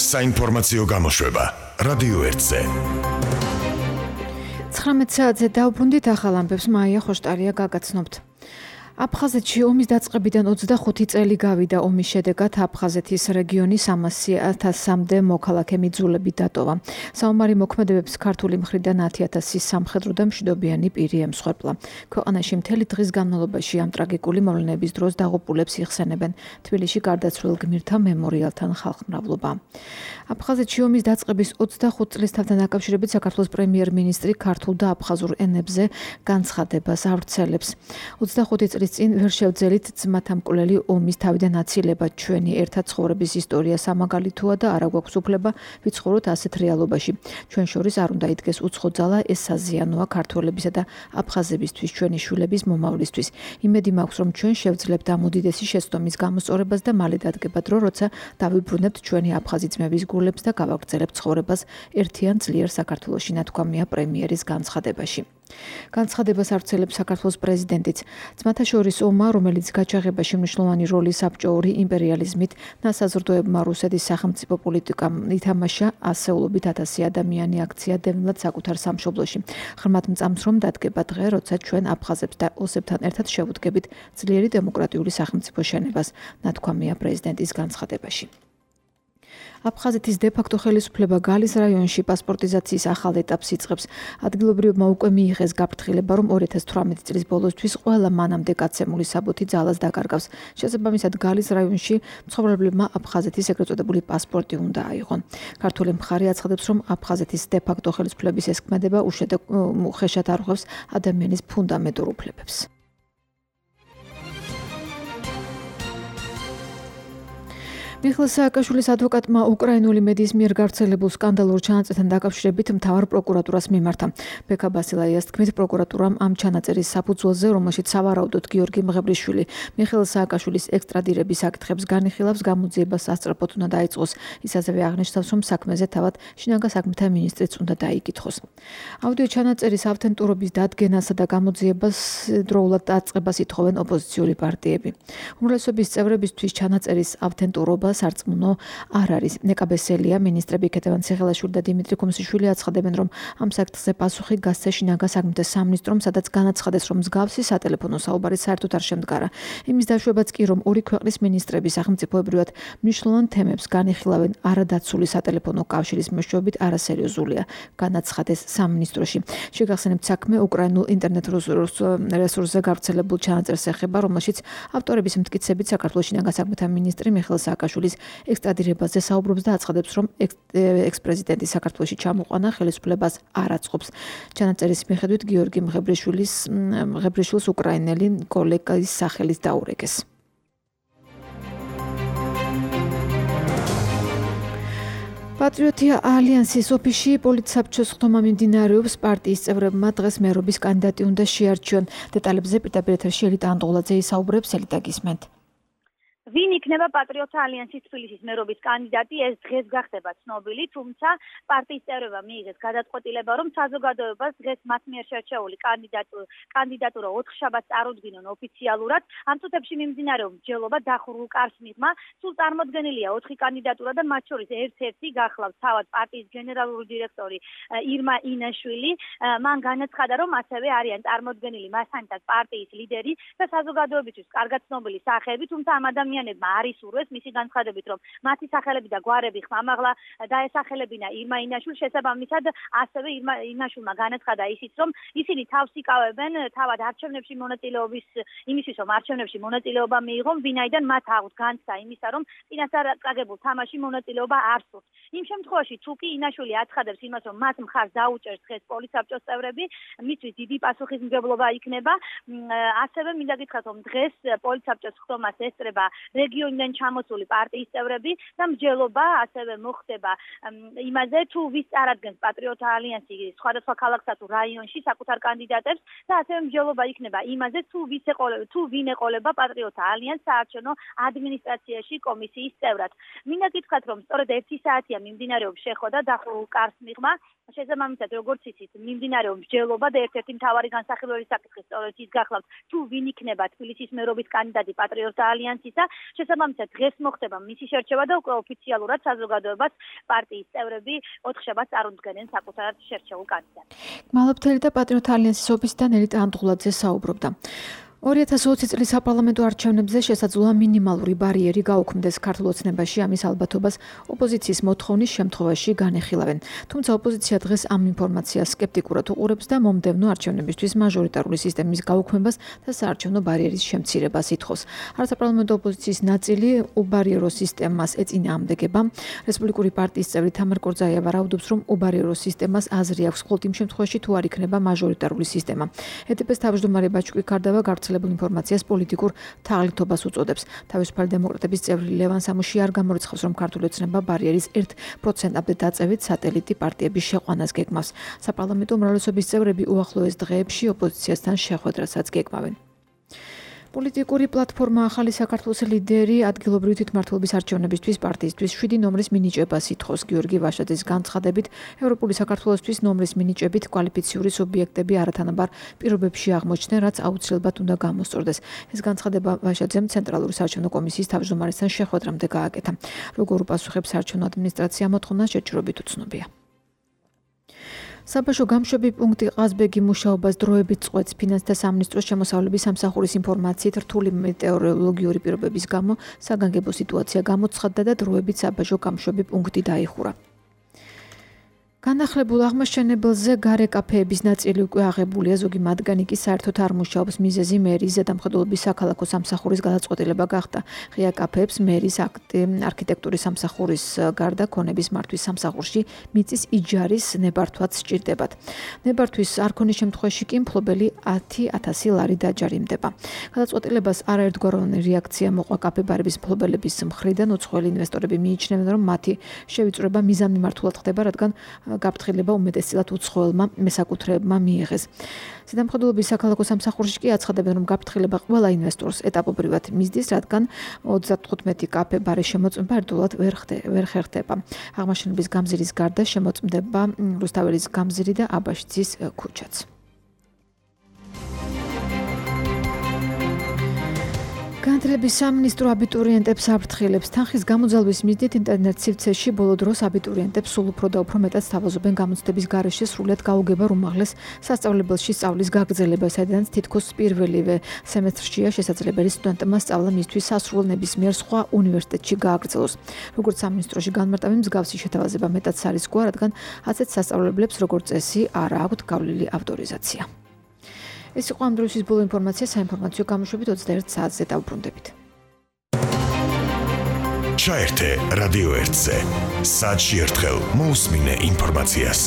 საინფორმაციო გამოშვება რადიო 1-ზე. 19 საათზე დავბრუნდით ახალ ამბებს მაია ხოშტარია გაგაცნობთ. აფხაზეთში ომის დაწყებიდან 25 წელი გავიდა. ომის შედეგად აფხაზეთის რეგიონი 300,000-მდე მოქალაქე მიძულებით დატოვა. საომარი მოქმედებებს ქართული მხრიდან 10,000 სამხედრო და მშვიდობიანი პირი ემსხვერპლა. ქვეყანაში მთელი დღის განმავლობაში ამ ტრაგიკული მოვლენების დროს დაღუპულებს იხსენებენ. თბილისში გარდაცვლილ გმირთა მემორიალთან ხალხმრავლობა. აფხაზეთში ომის დაწყების 25 წლისთან დაკავშირებით საქართველოს პრემიერ-მინისტრი ქართულ და აფხაზურ ენებზე განცხადებას ავრცელებს. 25 წლის წინ ვერ შევძელით ძმათა მკვლელი ომის თავიდან აცილება. ჩვენი ერთად ცხოვრების ისტორია სამაგალითოა და არა გვაქვს უფლება ვიცხოვროთ ასეთ რეალობაში. ჩვენ შორის არ უნდა იდგეს უცხო ძალა, ეს საზიანოა ქართველებისა და აფხაზებისთვის, ჩვენი შვილების მომავლისთვის. იმედი მაქვს, რომ ჩვენ შევძლებთ ამ უდიდესი შეცდომის გამოსწორებას და მალე დადგება დრო, როცა დავიბრუნებთ ჩვენი აფხაზი ძმების გულებს და გავაგრძელებთ ცხოვრებას ერთიან ძლიერ საქართველოში, ნათქვამია პრემიერის განცხადებაში. განცხადებას ავრცელებს საქართველოს პრეზიდენტიც. ძმათა შორის ომმა, რომელიც გაჩაღებაში მნიშვნელოვანი როლი საბჭოური იმპერიალიზმით ნასაზრდოებმა რუსეთის სახელმწიფო პოლიტიკამ ითამაშა, ასეულობით 1000 ადამიანი აქცია დევნილად საკუთარ სამშობლოში. ღრმად მწამს, რომ დადგება დღე, როცა ჩვენ აფხაზებს და ოსებთან ერთად შევუდგებით ძლიერი დემოკრატიული სახელმწიფო შენებას, ნათქვამია პრეზიდენტის განცხადებაში. აფხაზეთის დე-ფაქტო ხელისუფლება გალის რაიონში პასპორტიზაციის ახალ ეტაპს იწყებს. ადგილობრივებმა უკვე მიიღეს გაფრთხილება, რომ 2018 წლის ბოლოსთვის ყველა მანამდე გაცემული საბუთი ძალას დაკარგავს. შესაბამისად, გალის რაიონში მცხოვრებლებმა აფხაზეთის ეგრეთ წოდებული პასპორტი უნდა აიღონ. ქართული მხარე აცხადებს, რომ აფხაზეთის დე-ფაქტო ხელისუფლების ეს ქმედება უხეშად არღვევს ადამიანის ფუნდამენტურ უფლებებს. მიხეილ სააკაშვილის ადვოკატმა უკრაინული მედიის მიერ გავრცელებულ სკანდალურ ჩანაწერთან დაკავშირებით მთავარ პროკურატურას მიმართა. ბექა ბასილაიას თქმით, პროკურატურამ ამ ჩანაწერის საფუძველზე, რომელშიც სავარაუდოდ გიორგი მღებრიშვილი მიხეილ სააკაშვილის ექსტრადირების საკითხებს განიხილავს, გამოძიებას სასწრაფოდ უნდა დაიწყოს. ის ასევე აღნიშნავს, რომ საქმეზე თავად შინაგან საქმეთა მინისტრიც უნდა დაიკითხოს. აუდიო ჩანაწერის ავთენტურობის დადგენასა და გამოძიებას დროულად დაწყებას ითხოვენ ოპოზიციური პარტიები. უმრავლესობის წევრებისთვის ჩანაწერის ავთენტურობა სარწმუნო არ არის. ნეკაბესელია, მინისტრები ქეთევან ციხელაშვილი და დიმიტრი ქუმსიშვილი აცხადებენ, რომ ამ საკითხზე პასუხი გასცეს შინაგან საქმეთა სამინისტრომ, სადაც განაცხადეს, რომ მსგავსი სატელეფონო საუბარი საერთოდ არ შემდგარა. იმის დაშვებაც კი, რომ ორი ქვეყნის მინისტრები სახელმწიფოებრივად მნიშვნელოვან თემებს განიხილავენ არადაცული სატელეფონო კავშირის მეშვეობით არასერიოზულია, განაცხადეს სამინისტროში. შეგახსენებთ, საქმე უკრაინულ ინტერნეტ რესურსზე გავრცელებულ ჩანაწერს ეხება, რომელშიც ავტორების მტკიცებით საქართველოს შინაგან საქმეთა მინისტრი მიხეილ სააკაშვილის ექსტრადირებაზე საუბრობს და აცხადებს, რომ ექს-პრეზიდენტი საქართველოში ჩამოყვანა ხელისუფლებას არ აწყობს. ჩანაწერის მიხედვით გიორგი მღებრიშვილს უკრაინელი კოლეგის სახელით დაურეკეს. პატრიოტია ალიანსის ოფისში პოლიტსაბჭოს ხდომა მიმდინარეობს. პარტიის წევრებმა დღეს მერობის კანდიდატი უნდა შეარჩიონ. დეტალებზე პირდაპირ ეთერში ელიტა ანტოღლაძე ისაუბრებს. ელიტა, გისმენთ. ვინ იქნება პატრიოტთა ალიანსის თბილისის მერობის კანდიდატი, ეს დღეს გახდება ცნობილი, თუმცა პარტიის წევრებმა მიიღეს გადაწყვეტილება, რომ საზოგადოებას დღეს მათ მიერ შერჩეული კანდიდატურა 4 შაბათს წარუდგინონ ოფიციალურად. ამ წუთებში მიმდინარეობს მსჯელობა დახურულ კარს მიღმა. სულ წარმოდგენილია 4 კანდიდატურა და მათ შორის ერთ-ერთი გახლავს თავად პარტიის გენერალური დირექტორი ირმა ინაშვილი. მან განაცხადა, რომ ასევე არიან წარმოდგენილი მასთან პარტიის ლიდერი და საზოგადოებისთვის კარგად ცნობილი სახეები, თუმცა ამ ადამიანებმა არის ურვეს მისი განცხადებით, რომ მათი სახელები და გვარები ხმამაღლა დაესახელებინა ირმა ინაშვილს. შესაბამისად, ასევე ირმა ინაშვილმა განაცხადა ისიც, რომ ისინი თავს იკავებენ თავად არჩევნებში მონაწილეობის იმისთვის, რომ არჩევნებში მონაწილეობა მიიღონ, ვინაიდან მათ აუთ განცდა იმისა, რომ წინასწარ წაგებულ თამაში მონაწილეობა არ სურთ. იმ შემთხვევაში, თუ კი ინაშვილი აცხადებს იმას, რომ მათ მხარს დაუჭერს დღეს პოლიტსაბჭოს წევრები, მისთვის დიდი პასუხისმგებლობა იქნება. ასევე მინდა გითხრათ, რომ დღეს პოლიტსაბჭოს ხდომას ესწრება რეგიონიდან ჩამოსული პარტიის წევრები და მსჯელობა ასევე მოხდება იმაზე, თუ ვის წარადგენს პატრიოტთა ალიანსი სხვადასხვა ქალაქსა თუ რაიონში საკუთარ კანდიდატებს და ასევე მსჯელობა იქნება იმაზე, თუ ვინ ეყოლება პატრიოტთა ალიანსს საარჩევნო ადმინისტრაციაში კომისიის წევრად. მინდა გითხრათ, რომ სწორედ 1 საათია მიმდინარეობს შეხვედრა დახურულ კარს მიღმა შესაბამისად, როგორც იცით, მიმდინარეობს მსჯელობა და ერთ-ერთი მთავარი განსახილველი საკითხი სწორედ ის გახლავთ, თუ ვინ იქნება თბილისის მერობის კანდიდატი პატრიოტთა ალიანსისა. შესაბამისად, დღეს მოხდება მისი შერჩევა და უკვე ოფიციალურად საზოგადოებას პარტიის წევრები 4 შაბათს წარუდგენენ საკუთარ შერჩეულ კანდიდატს. მალობთელი და პატრიოტთა ალიანსის ოფისიდან ელიტ ანდღულაძე საუბრობდა. 2020 წლის საპარლამენტო არჩევნებზე შესაძლოა მინიმალური ბარიერი გაუქმდეს ქართულ ოცნებაში ამის ალბათობას ოპოზიციის მოთხოვნის შემთხვევაში განეხილავენ. თუმცა ოპოზიცია დღეს ამ ინფორმაციას სკეპტიკურად უყურებს და მომდევნო არჩევნებისთვის მაჟორიტარული სისტემის გაუქმებას და საარჩევნო ბარიერის შემცირებას ითხოვს. არასაპარლამენტო ოპოზიციის ნაწილი უბარიერო სისტემას ეწინააღმდეგება. რესპუბლიკური პარტიის წევრი თამარ კორძაიევა რაუდობს, რომ უბარიერო სისტემას აზრი აქვს მხოლოდ იმ შემთხვევაში, თუ არ იქნება მაჟორიტარული სისტემა. ედპ-ს თავმჯდომარე ბაჭკვი კარდავა გავრცელებულ ინფორმაციას პოლიტიკურ თაღლითობას უწოდებს. თავისუფალი დემოკრატების წევრი ლევან სამუში არ გამორიცხავს, რომ ქართული ოცნება ბარიერის 1%-მდე დაწევით სატელიტი პარტიების შეყვანას გეგმავს. საპარლამენტო უმრავლესობის წევრები უახლოეს დღეებში ოპოზიციასთან შეხვედრასაც გეგმავენ. პოლიტიკური პლატფორმა ახალი საქართველოს ლიდერი ადგილობრივი თვითმმართველობის არჩევნებისთვის პარტიისთვის 7 ნომრის მინიჭებას ითხოვს. გიორგი ვაშაძის განცხადებით, ევროპული საქართველოსთვის ნომრის მინიჭებით კვალიფიციური სუბიექტები არათანაბარ პირობებში აღმოჩნდნენ, რაც აუცილებლად უნდა გამოსწორდეს. ეს განცხადება ვაშაძემ ცენტრალური საარჩევნო კომისიის თავმჯდომარესთან შეხვედრამდე გააკეთა. როგორ უპასუხებს საარჩევნო ადმინისტრაცია მოთხოვნას შეჭრობით უცნობია. საბაჟო გამშვები პუნქტი ყაზბეგი მუშაობას დროებით წყვეტს. ფინანსთა სამინისტროს შემოსავლების სამსახურის ინფორმაციით, რთული მეტეოროლოგიური პირობების გამო საგანგებო სიტუაცია გამოცხადდა და დროებით საბაჟო გამშვები პუნქტი დაიხურა. განახლებულ აღმაშენებელზე გარე კაფეების ნაწილი უკვე აღებულია, ზოგი მათგანი კი საერთოდ არ მუშაობს. მიზეზი მერის ზედამხედველობის საქალაქო სამსახურის გადაწყვეტილება გახდა. ღია კაფეებს მერის არქიტექტურის სამსახურის გარდა ქონების მართვის სამსახურში მიწის იჯარის ნებართვაც სჭირდებათ. ნებართვის არ ქონის შემთხვევაში კი მფლობელი 10,000 ლარი დაჯარიმდება. გადაწყვეტილებას არაერთგვაროვანი რეაქცია მოყვა კაფე-ბარების მფლობელების მხრიდან. უცხოელი ინვესტორები მიიჩნევენ, რომ მათი შევიწროება მიზანმიმართულად ხდება, რადგან გაფრთხილება უმეტესწილად უცხოელმა მესაკუთრეებმა მიიღეს. ზედამხედველობის საქალაქო სამსახურში კი აცხადებენ, რომ გაფრთხილება ყველა ინვესტორს ეტაპობრივად მისდის, რადგან 35 კაფე-ბარის შემოწმება ერთდროულად ვერ ხერხდება. აღმაშენების გამზირის გარდა შემოწმდება რუსთაველის გამზირი და აბაშიძის ქუჩაც. განათლების სამინისტრო აბიტურიენტებს აფრთხილებს. თანხის გამოძალვის მიზნით ინტერნეტ სივრცეში ბოლო დროს აბიტურიენტებს სულ უფრო და უფრო მეტად სთავაზობენ გამოცდების გარეშე სრულად გაუგება უმაღლეს სასწავლებელში სწავლის გაგრძელება, სადაც თითქოს პირველივე სემესტრშია შესაძლებელი სტუდენტმა სწავლა მისთვის სასრულო ნებისმიერ სხვა უნივერსიტეტში გააგრძელოს. როგორც სამინისტროში განმარტავენ, მსგავსი შეთავაზება მეტად სარისკოა, რადგან ასეთ სასწავლებლებს როგორც წესი არ აქვთ გავლილი ავტორიზაცია. ეს იყო ამ დროის ბოლო ინფორმაცია საინფორმაციო გამოშვებით 21 საათზე დავბრუნდებით. ჩაერთე რადიო 1-ზე. საათში ერთხელ მოусმინე ინფორმაციას.